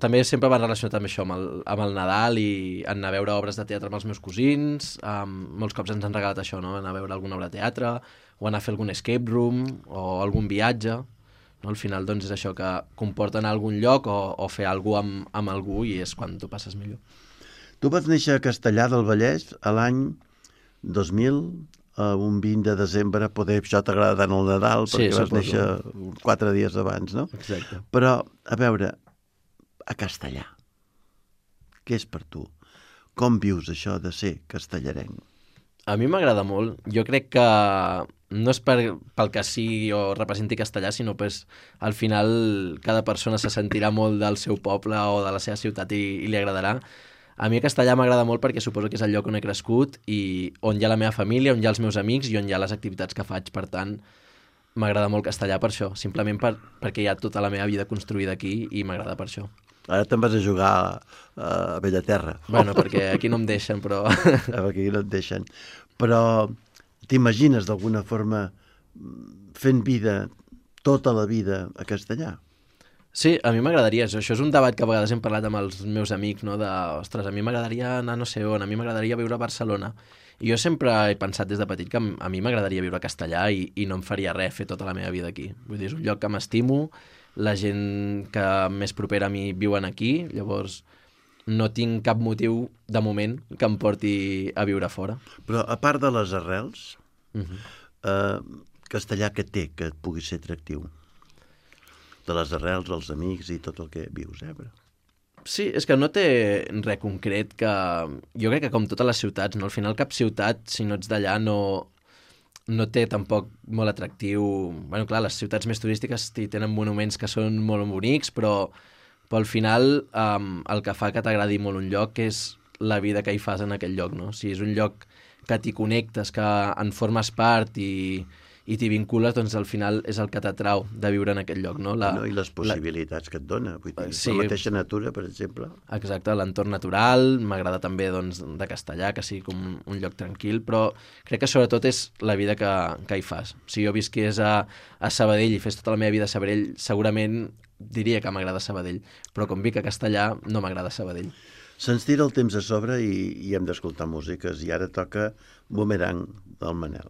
també sempre va relacionat amb això, amb el, amb el Nadal i anar a veure obres de teatre amb els meus cosins. Um, molts cops ens han regalat això, no? Anar a veure alguna obra de teatre o anar a fer algun escape room o algun viatge. No? Al final doncs, és això que comporta anar a algun lloc o, o fer alguna cosa amb, amb algú i és quan tu passes millor. Tu vas néixer a Castellar del Vallès a l'any dos mil, un vint de desembre, poder això t'agrada tant el Nadal, perquè sí, vas néixer quatre dies abans, no? Exacte. Però, a veure, a Castellar, què és per tu? Com vius això de ser castellarenc? A mi m'agrada molt. Jo crec que no és per, pel que sigui o representi Castellar, sinó que al final cada persona se sentirà molt del seu poble o de la seva ciutat i, i li agradarà. A mi a Castellar m'agrada molt perquè suposo que és el lloc on he crescut i on hi ha la meva família, on hi ha els meus amics i on hi ha les activitats que faig. Per tant, m'agrada molt Castellar per això, simplement per, perquè hi ha tota la meva vida construïda aquí i m'agrada per això. Ara te'n vas a jugar a Bellaterra. Bueno, perquè aquí no em deixen, però... Aquí no et deixen. Però t'imagines d'alguna forma fent vida, tota la vida a Castellar? Sí, a mi m'agradaria. Això és un debat que a vegades hem parlat amb els meus amics, no? De, ostres, a mi m'agradaria anar no sé on, a mi m'agradaria viure a Barcelona. I jo sempre he pensat des de petit que a mi m'agradaria viure a Castellar i, i no em faria res fer tota la meva vida aquí. Vull dir, és un lloc que m'estimo, la gent que més propera a mi viuen aquí, llavors no tinc cap motiu, de moment, que em porti a viure fora. Però a part de les arrels, uh-huh. eh, Castellar què té que pugui ser atractiu? de les arrels, els amics i tot el que vius, eh? Però... Sí, és que no té res concret que... Jo crec que com totes les ciutats, no? Al final cap ciutat, si no ets d'allà, no, no té tampoc molt atractiu... Bueno, clar, les ciutats més turístiques tenen monuments que són molt bonics, però, però al final um, el que fa que t'agradi molt un lloc és la vida que hi fas en aquell lloc, no? Si és un lloc que t'hi connectes, que en formes part i, i t'hi vincules, doncs al final és el que t'atrau de viure en aquell lloc, no? La, no I les possibilitats la... que et dona. Vull dir, sí. La mateixa natura, per exemple. Exacte, l'entorn natural, m'agrada també doncs, de Castellà, que sigui com un lloc tranquil, però crec que sobretot és la vida que, que hi fas. Si jo visqués a, a Sabadell i fes tota la meva vida a Sabadell, segurament diria que m'agrada Sabadell, però com vic a Castellà no m'agrada Sabadell. Se'ns tira el temps a sobre i, i hem d'escoltar músiques, i ara toca Boomerang del Manel.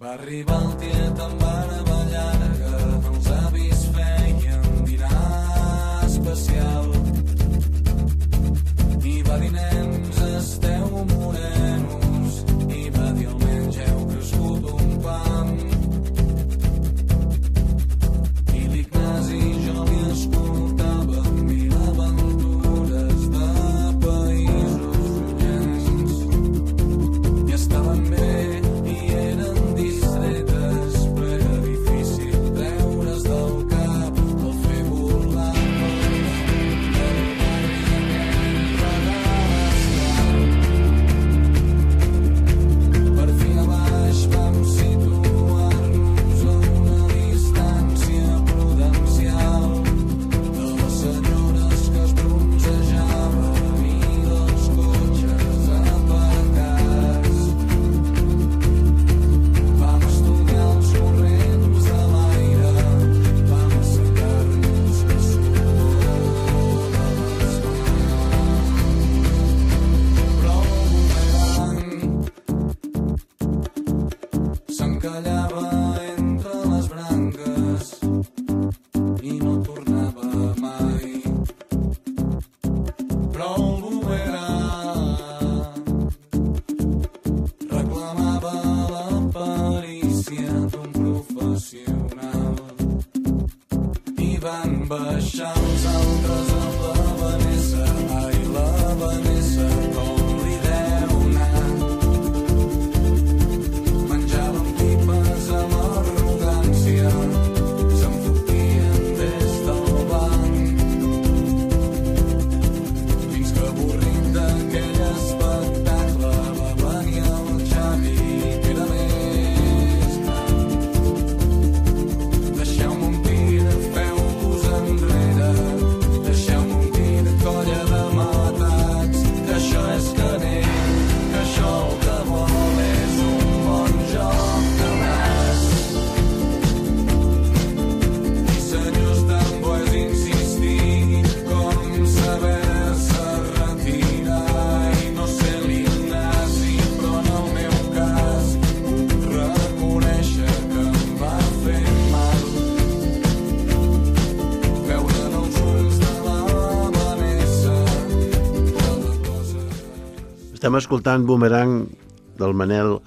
Va arribar el tiet amb barba llarga, els avis feien dinar especial. I va dir, nens, esteu morenos, i va dir, almenys heu crescut un pam. I l'Ignasi jo li escoltava mil aventures de països llunyans. I estaven bé i eren distretes, però era difícil treure's del cap el fer volar del barri aquell per fi a baix vam situar-nos a una distància prudencial de les senyores que es bronzejaven i dels cotxes aparcats. Vam estudiar els corrents de l'aire, vam assecar-nos que sudor de les però el boomerang s'encallava entre les branques i no tornava mai. Però el boomerang reclamava la perícia d'un professional. I van baixar els altres amb la Vanessa, ai, la Vanessa, com li deu anar. Menjaven pipes amb arrogància, se'n fotien des del banc. Fins que avorrit d'aquell espectacle va venir el Xavi, que era més gran. Deixeu-me un tir, feu-vos enrere, deixeu-me un tir, colla de matats, que això és canell, que això el que vol és un bon joc de nas. I senyors, tant bo és insistir com saber-se retirar. I no sé l'Ignasi, però en el meu cas puc reconèixer que em va fer mal veure'n els ulls de la Vanessa cada cosa. Estem escoltant Boomerang del Manel,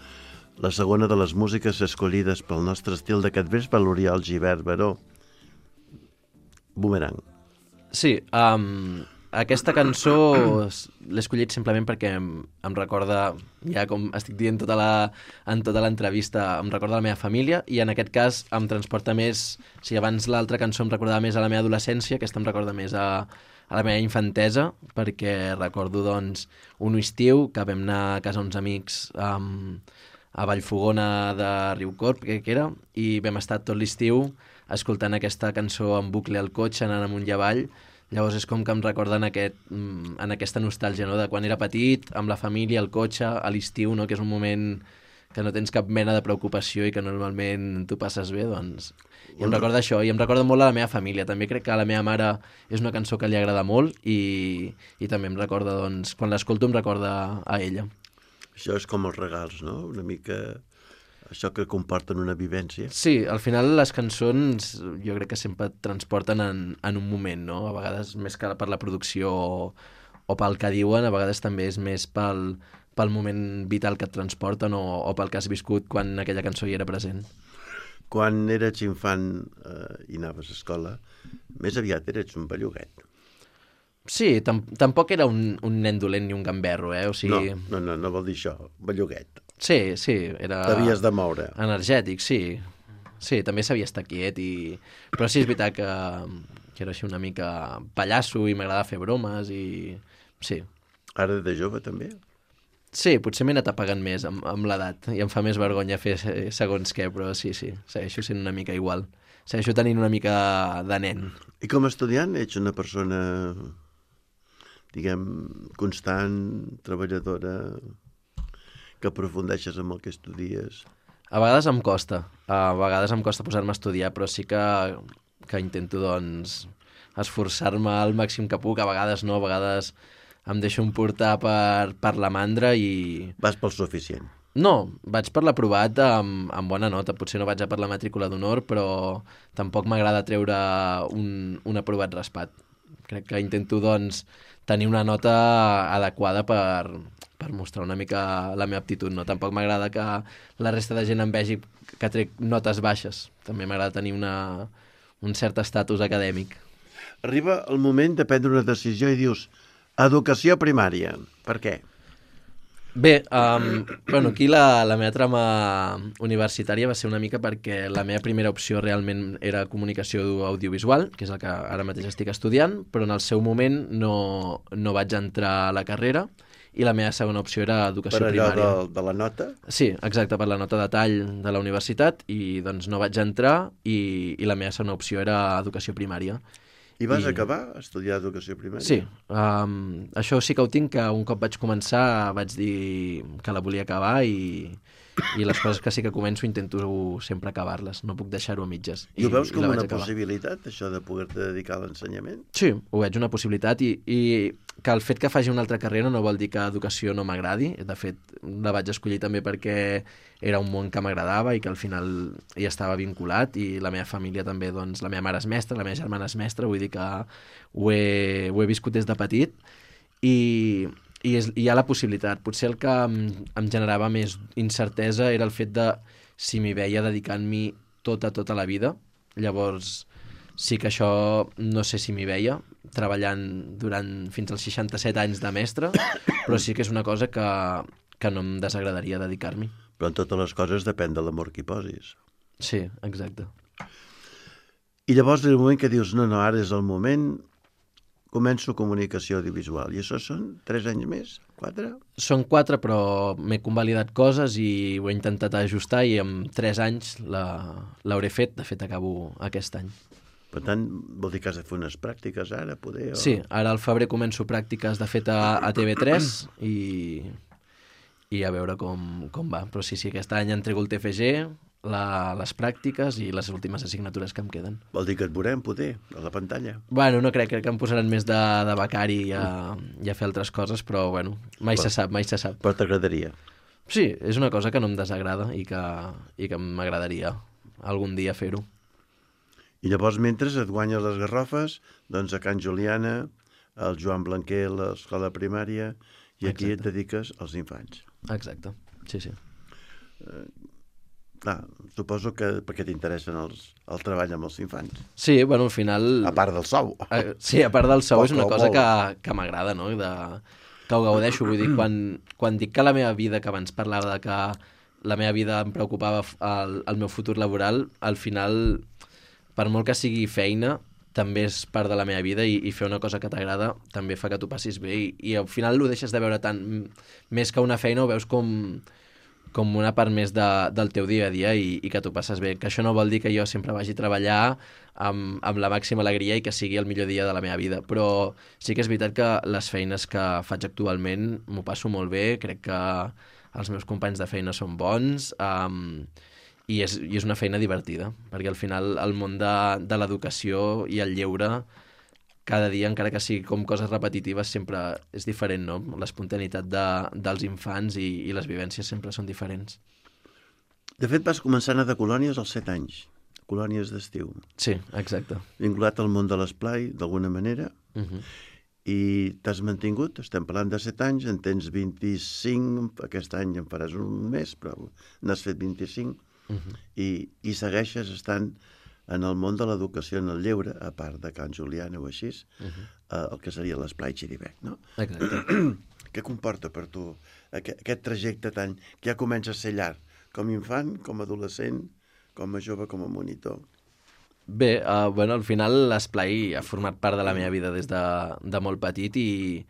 la segona de les músiques escollides pel nostre estil d'aquest vespre, l'Oriol Gibert Baró. Boomerang. Sí, um, aquesta cançó s- l'he escollit simplement perquè em, em recorda, ja com estic dient tota la, en tota l'entrevista, em recorda la meva família i en aquest cas em transporta més, si abans l'altra cançó em recordava més a la meva adolescència, aquesta em recorda més a, a la meva infantesa, perquè recordo doncs un estiu que vam anar a casa uns amics um, a Vallfogona de Riucorb, crec que era, i vam estar tot l'estiu escoltant aquesta cançó en bucle al cotxe, anant amunt i avall. Llavors és com que em recorda en, aquest, mm, en aquesta nostàlgia, no?, de quan era petit, amb la família, al cotxe, a l'estiu, no?, que és un moment que no tens cap mena de preocupació i que normalment tu passes bé, doncs... I em recorda això, i em recorda molt a la meva família. També crec que a la meva mare és una cançó que li agrada molt i, i també em recorda, doncs, quan l'escolto em recorda a ella. Això és com els regals, no? Una mica això que comporten una vivència. Sí, al final les cançons jo crec que sempre et transporten en, en un moment, no? A vegades més que per la producció o, o pel que diuen, a vegades també és més pel, pel moment vital que et transporten o, o pel que has viscut quan aquella cançó hi era present. Quan eres infant eh, i anaves a escola, Més aviat eres un belluguet. Sí, tam tampoc era un, un nen dolent ni un gamberro, eh? O sigui... No, no, no, no vol dir això, belluguet. Sí, sí, era... T'havies de moure. Energètic, sí. Sí, també sabia estar quiet i... Però sí, és veritat que, que era així una mica pallasso i m'agradava fer bromes i... Sí. Ara de jove també? Sí, potser m'he anat apagant més amb, amb l'edat i em fa més vergonya fer segons què, però sí, sí, segueixo sent una mica igual. Segueixo tenint una mica de nen. I com a estudiant ets una persona, diguem, constant, treballadora, que aprofundeixes en el que estudies? A vegades em costa, a vegades em costa posar-me a estudiar, però sí que, que intento, doncs, esforçar-me al màxim que puc. A vegades no, a vegades em deixo emportar per, per la mandra i... Vas pel suficient. No, vaig per l'aprovat amb, amb bona nota. Potser no vaig a per la matrícula d'honor, però tampoc m'agrada treure un, un aprovat raspat. Crec que intento, doncs, tenir una nota adequada per, per mostrar una mica la meva aptitud. No? Tampoc m'agrada que la resta de gent em vegi que trec notes baixes. També m'agrada tenir una, un cert estatus acadèmic. Arriba el moment de prendre una decisió i dius educació primària. Per què? Bé, um, bueno, aquí la, la meva trama universitària va ser una mica perquè la meva primera opció realment era comunicació audiovisual, que és el que ara mateix estic estudiant, però en el seu moment no, no vaig entrar a la carrera i la meva segona opció era educació per allò primària. de, de la nota? Sí, exacte, per la nota de tall de la universitat i doncs no vaig entrar i, i la meva segona opció era educació primària. I vas I... acabar a estudiar educació primària? Sí, um, això sí que ho tinc, que un cop vaig començar vaig dir que la volia acabar i, i les coses que sí que començo intento sempre acabar-les, no puc deixar-ho a mitges. I, I ho veus com la una vaig acabar. possibilitat, això de poder-te dedicar a l'ensenyament? Sí, ho veig una possibilitat i, i que el fet que faci una altra carrera no vol dir que educació no m'agradi. De fet, la vaig escollir també perquè era un món que m'agradava i que al final hi estava vinculat i la meva família també, doncs, la meva mare és mestra, la meva germana és mestra, vull dir que ho he, ho he viscut des de petit i, i és, hi ha la possibilitat. Potser el que em, em generava més incertesa era el fet de si m'hi veia dedicant-m'hi tota, tota la vida. Llavors, sí que això no sé si m'hi veia, treballant durant fins als seixanta-set anys de mestre, però sí que és una cosa que, que no em desagradaria dedicar-m'hi. Però en totes les coses depèn de l'amor que hi posis. Sí, exacte. I llavors, en el moment que dius, no, no, ara és el moment, començo comunicació audiovisual. I això són tres anys més? Quatre? Són quatre, però m'he convalidat coses i ho he intentat ajustar i en tres anys l'hauré fet. De fet, acabo aquest any. Per tant, vol dir que has de fer unes pràctiques ara, poder? O... Sí, ara al febrer començo pràctiques, de fet, a, a T V tres i, i a veure com, com va. Però sí, sí, aquest any entrego el T F G, la, les pràctiques i les últimes assignatures que em queden. Vol dir que et veurem, poder, a la pantalla. Bueno, no crec, crec que em posaran més de, de becari i a, i a fer altres coses, però bueno, mai Però- se sap, mai se sap. Però t'agradaria. Sí, és una cosa que no em desagrada i que, i que m'agradaria algun dia fer-ho. I llavors, mentre et guanyes les garrofes, doncs a Can Juliana, al Joan Blanquer, a l'escola primària, i aquí Exacte. et dediques als infants. Exacte, sí, sí. Clar, suposo que perquè t'interessen els, el treball amb els infants. Sí, bueno, al final... A part del sou. Eh, sí, a part del sou Poc és una o cosa molt. que, que m'agrada, no? De, que ho gaudeixo. Vull dir, quan, quan dic que la meva vida, que abans parlava de que la meva vida em preocupava f- el, el meu futur laboral, al final, per molt que sigui feina, també és part de la meva vida i, i fer una cosa que t'agrada també fa que tu passis bé i, i al final ho deixes de veure tant més que una feina, ho veus com, com una part més de, del teu dia a dia i, i que tu passes bé. Que això no vol dir que jo sempre vagi a treballar amb, amb la màxima alegria i que sigui el millor dia de la meva vida, però sí que és veritat que les feines que faig actualment m'ho passo molt bé, crec que els meus companys de feina són bons, um, i és, i és una feina divertida, perquè al final el món de, de l'educació i el lleure cada dia, encara que sigui com coses repetitives, sempre és diferent, no? L'espontaneïtat de, dels infants i, i les vivències sempre són diferents. De fet, vas començar a anar de colònies als set anys, colònies d'estiu, Sí, exacte. vinculat al món de l'esplai, d'alguna manera, Uh -huh. i t'has mantingut, estem parlant de set anys, en tens vint-i-cinc, aquest any en faràs un mes, però n'has fet vint-i-cinc, Uh -huh. i, i segueixes estant en el món de l'educació en el lleure, a part de Can Juliana o així, uh -huh. eh, el que seria l'Esplai Xirivec, no? Exacte. Què comporta per tu aquest, aquest trajecte tan... que ja comença a ser llarg, com a infant, com a adolescent, com a jove, com a monitor? Bé, uh, bueno, al final l'Esplai ha format part de la meva vida des de, de molt petit i,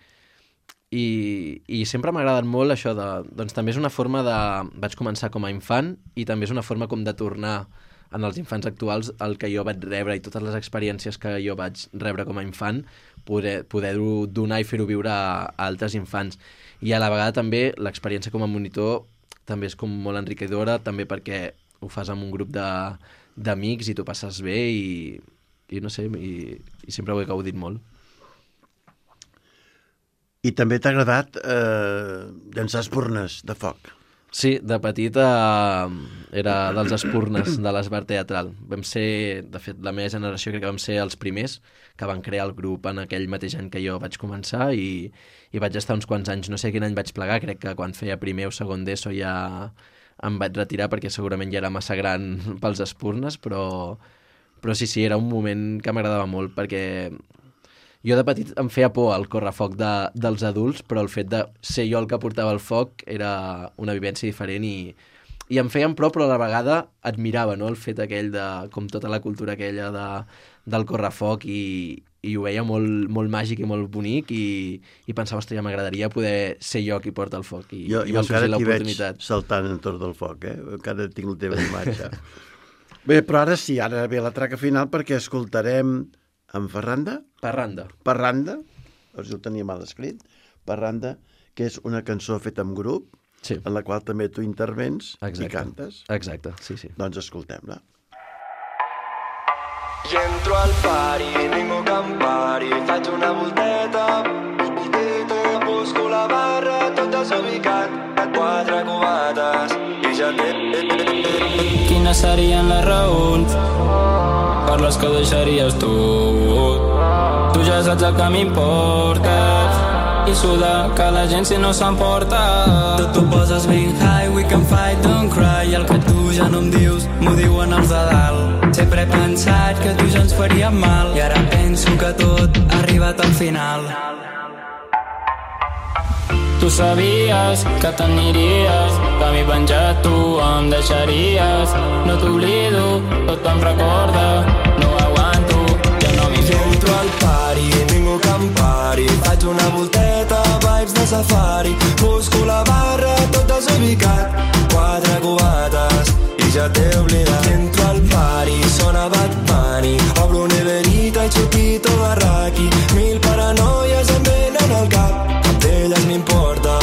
i, i sempre m'ha agradat molt això de... Doncs també és una forma de... Vaig començar com a infant i també és una forma com de tornar en els infants actuals el que jo vaig rebre i totes les experiències que jo vaig rebre com a infant, poder, poder-ho donar i fer-ho viure a, a altres infants. I a la vegada també l'experiència com a monitor també és com molt enriquidora, també perquè ho fas amb un grup de d'amics i t'ho passes bé i, i no sé, i, i sempre ho he gaudit molt. I també t'ha agradat eh, llançar espurnes de foc. Sí, de petit eh, era dels espurnes de l'Esbart Teatral. Vam ser, de fet, la meva generació crec que vam ser els primers que van crear el grup en aquell mateix any que jo vaig començar i, i vaig estar uns quants anys, no sé quin any vaig plegar, crec que quan feia primer o segon d'ESO ja em vaig retirar perquè segurament ja era massa gran pels espurnes, però, però sí, sí, era un moment que m'agradava molt perquè jo de petit em feia por el correfoc de, dels adults, però el fet de ser jo el que portava el foc era una vivència diferent i, i em feien por, però a la vegada admirava, no?, el fet aquell de, com tota la cultura aquella de, del correfoc i, i ho veia molt, molt màgic i molt bonic i, i pensava, ostres, ja m'agradaria poder ser jo qui porta el foc i, jo, i jo va sorgir encara t'hi veig l'oportunitat. saltant entorn del foc, eh? Encara tinc la teva imatge. Bé, però ara sí, ara ve la traca final perquè escoltarem en Ferranda? Parranda. Parranda, doncs ho tenia mal escrit, Parranda, que és una cançó feta en grup, sí, en la qual també tu intervens exacte. I cantes. Exacte, sí, sí. Doncs escoltem-la. I entro al pari, ningú que em pari, faig una volteta, busco la barra, tot desubicat, quatre cubates, i ja té... Quines serien les raons per les que deixaries tu? Tu ja saps el que m'importa i sudar que la gent si no s'emporta. Tu t'ho poses ben high, we can fight, don't cry. El que tu ja no em dius, m'ho diuen els de dalt. Sempre he pensat que tu ja ens faríem mal i ara penso que tot ha arribat al final. Tu sabies que t'aniries, que m'hi penjat tu em deixaries. No t'oblido, tot em recorda, no aguanto, ja no m'hi entro al pari, ningú que em pari, faig una volteta, vibes de safari, busco la barra, tot desubicat, quatre cubates, i ja t'he oblidat. Entro al pari, sona Bad Bunny, obro neverita i xupito de raqui, mil paranoies em venen al cap, cap d'elles m'importa,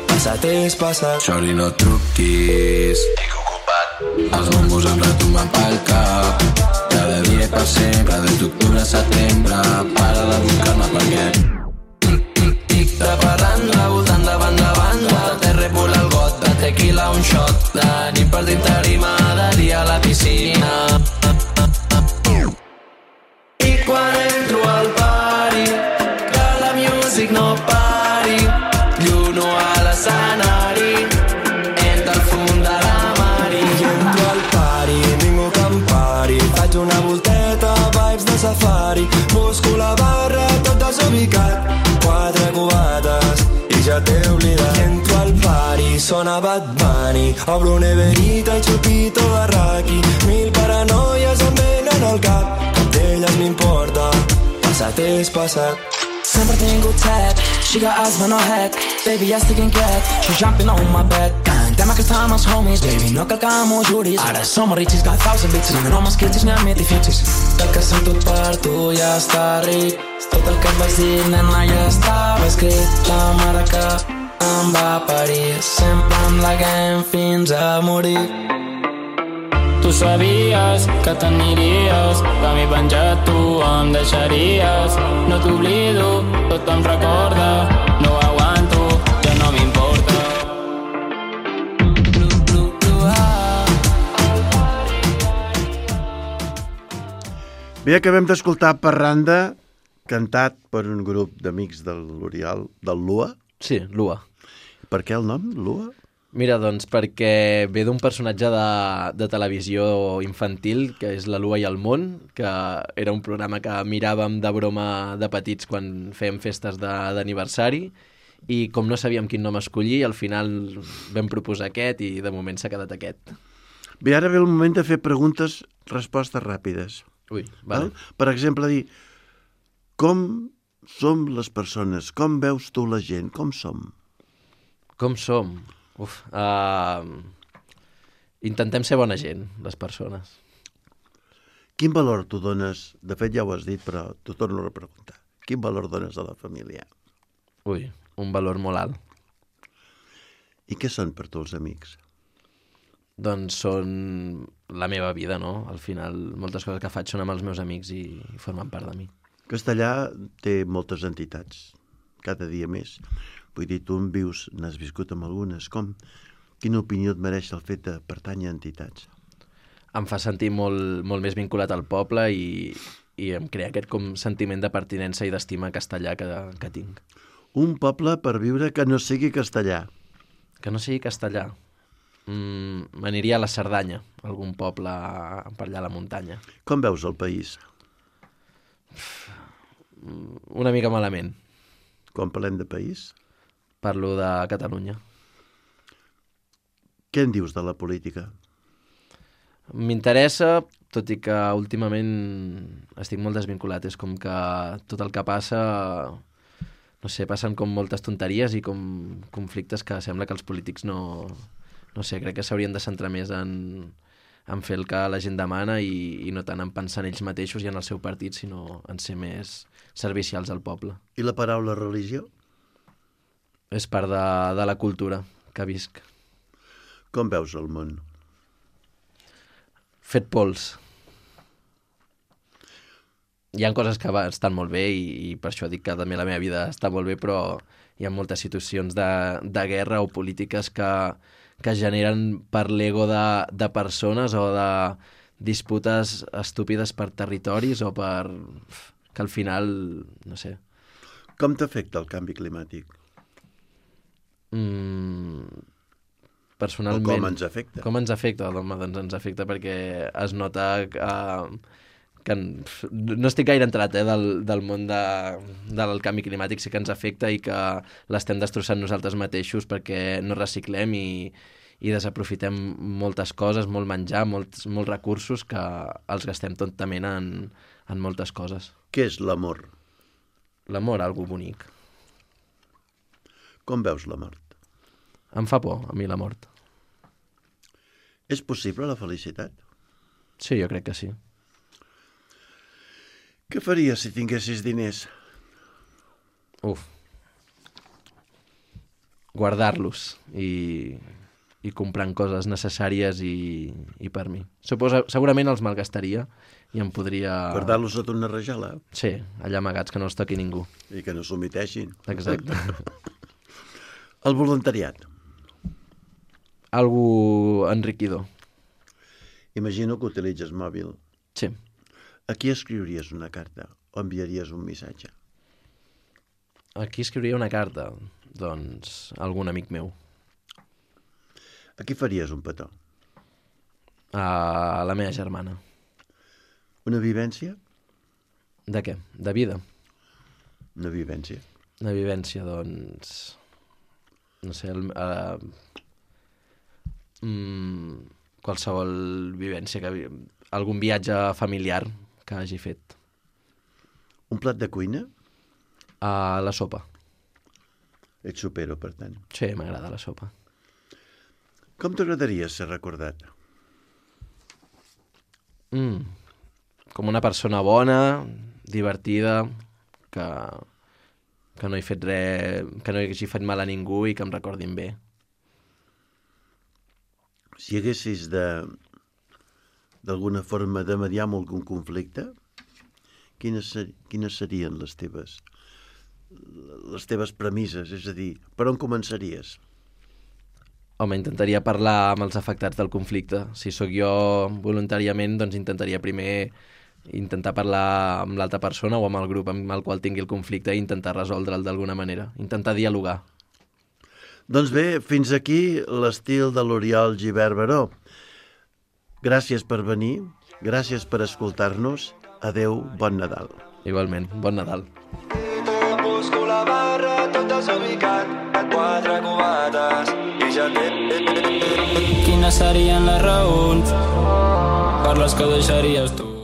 passat és passat. Sorry, no truquis, estic ocupat, els bombos em retumben pel cap, cada dia per sempre, des d'octubre a setembre, para de buscar-me perquè tic de parranda, voltant de banda a banda, te repula el got de tequila, un shot de nit per dintre tarima, de dia a la piscina. I quan entro al pari, que la music no pari, lluno a l'escenari, entra al fum de la mari. I entro al pari, ningú que em pari, faig una volteta, vibes de safari, busco la barra, tot desubicat, quatre cubates, i ja t'he oblidat. I entro al pari, sona Bad Bunny, obro neverita i xupito de raqui, mil paranoies em venen al cap, cap d'elles m'importa, passat és passat. Sempre he tingut set, she got eyes but no head. Baby, I still can get, she jumping on my bed. Cantem aquesta amb els homies, baby, no cal que m'ho juris. Ara som riquis, got thousand bitches, no només crits ni amb fixis. El que sent tot per tu ja està ric, tot el que et vaig dir, nena, ja estava escrit. La mare que em va parir, sempre amb la game fins a morir. Tu sabies que t'aniries, que m'hi penjat tu em deixaries. No t'oblido, tot em recorda, no aguanto, ja no m'importa. Bé, acabem d'escoltar Parranda, cantat per un grup d'amics del l'Oriol, del Lua. Sí, Lua. Per què el nom, Lua? Mira, doncs perquè ve d'un personatge de, de televisió infantil, que és La Lua i el Món, que era un programa que miràvem de broma de petits quan fèiem festes de- d'aniversari, i com no sabíem quin nom escollir, al final vam proposar aquest i de moment s'ha quedat aquest. Bé, ara ve el moment de fer preguntes, respostes ràpides. Ui, vale. Val? Per exemple, dir, com som les persones? Com veus tu la gent? Com som? Com som? Uf, uh, intentem ser bona gent, les persones. Quin valor tu dones? De fet, ja ho has dit, però t'ho torno a repreguntar. Quin valor dones a la família? Ui, un valor molt alt. I què són per tu els amics? Doncs són la meva vida, no? Al final, moltes coses que faig són amb els meus amics i, i formen part de mi. Castellà té moltes entitats, cada dia més. Vull dir, tu en vius, n'has viscut amb algunes. Com? Quina opinió et mereix el fet de pertànyer a entitats? Em fa sentir molt, molt més vinculat al poble i, i em crea aquest com sentiment de pertinença i d'estima castellà que, que tinc. Un poble per viure que no sigui castellà. Que no sigui castellà. Mm, m'aniria a la Cerdanya, algun poble per allà a la muntanya. Com veus el país? Una mica malament. Quan parlem de país? Parlo de Catalunya. Què en dius de la política? M'interessa, tot i que últimament estic molt desvinculat. És com que tot el que passa, no sé, passen com moltes tonteries i com conflictes que sembla que els polítics no... No sé, crec que s'haurien de centrar més en, en fer el que la gent demana i, i no tant en pensar en ells mateixos i en el seu partit, sinó en ser més servicials al poble. I la paraula religió? És part de, de la cultura que visc. Com veus el món? Fet pols. Hi ha coses que va, estan molt bé i, i per això dic que també la meva vida està molt bé, però hi ha moltes situacions de, de guerra o polítiques que, que generen per l'ego de, de persones o de disputes estúpides per territoris o per... que al final, no sé... Com t'afecta el canvi climàtic? Mm, personalment... O com ens afecta? Com ens afecta? Home, doncs ens afecta perquè es nota que, que no estic gaire entrat eh, del, del món de, del canvi climàtic, sí que ens afecta i que l'estem destrossant nosaltres mateixos perquè no reciclem i, i desaprofitem moltes coses, molt menjar, molts, molts recursos que els gastem tontament en, en moltes coses. Què és l'amor? L'amor, algo bonic. Com veus la mort? Em fa por, a mi, la mort. És possible la felicitat? Sí, jo crec que sí. Què faries si tinguessis diners? Uf. Guardar-los i, i comprant coses necessàries i, i per mi. Suposa, segurament els malgastaria i em podria... Guardar-los sota una rajola? Sí, allà amagats, que no els toqui ningú. I que no s'omiteixin. Exacte. El voluntariat. Algú enriquidor. Imagino que utilitzes mòbil. Sí. A qui escriuries una carta o enviaries un missatge? A qui escriuria una carta? Doncs algun amic meu. A qui faries un petó? A la meva germana. Una vivència? De què? De vida. Una vivència. Una vivència, doncs... No sé, el, uh, mm, qualsevol vivència, que, algun viatge familiar que hagi fet. Un plat de cuina? A la sopa. Ets supero, per tant. Sí, m'agrada la sopa. Com t'agradaria ser recordat? Mm. Com una persona bona, divertida, que, que no he fet res, que no hagi fet mal a ningú i que em recordin bé. Si haguessis de d'alguna forma de mediar amb algun conflicte, quines, ser, quines serien les teves les teves premisses? És a dir, per on començaries? Home, intentaria parlar amb els afectats del conflicte. Si sóc jo voluntàriament, doncs intentaria primer intentar parlar amb l'altra persona o amb el grup amb el qual tingui el conflicte i intentar resoldre'l d'alguna manera. Intentar dialogar. Doncs bé, fins aquí l'estil de l'Oriol Gibert Baró. Gràcies per venir, gràcies per escoltar-nos. Adeu, bon Nadal. Igualment, bon Nadal. Busco la barra, tot desubicat, quatre cubates i ja té... Quines serien les raons per les que deixaries tu?